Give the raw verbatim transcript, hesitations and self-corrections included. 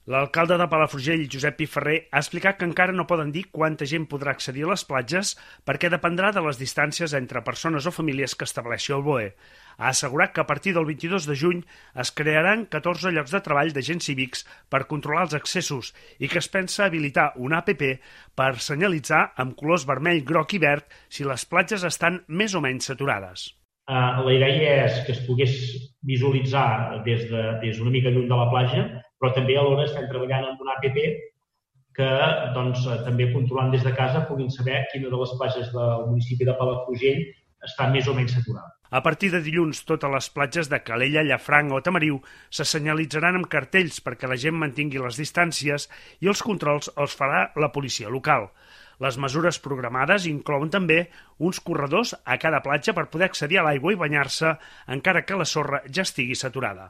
L'alcalde de Palafrugell, Josep Piferrer, ha explicat que encara no poden dir quanta gent podrà accedir a les platges perquè dependrà de les distàncies entre persones o famílies que estableixi el B O E. Ha assegurat que a partir del vint-i-dos de juny es crearan catorze llocs de treball d'agents cívics per controlar els accessos i que es pensa habilitar una app per senyalitzar amb colors vermell, groc i verd si les platges estan més o menys saturades. Uh, la idea és que es pogués visualitzar des de, des una mica lluny de la platja, però també alhora estem treballant amb una app que doncs, també controlant des de casa puguin saber quina de les platges del municipi de Palafrugell està més o menys saturada. A partir de dilluns, totes les platges de Calella, Llafranc o Tamariu se senyalitzaran amb cartells perquè la gent mantingui les distàncies i els controls els farà la policia local. Les mesures programades inclouen també uns corredors a cada platja per poder accedir a l'aigua i banyar-se encara que la sorra ja estigui saturada.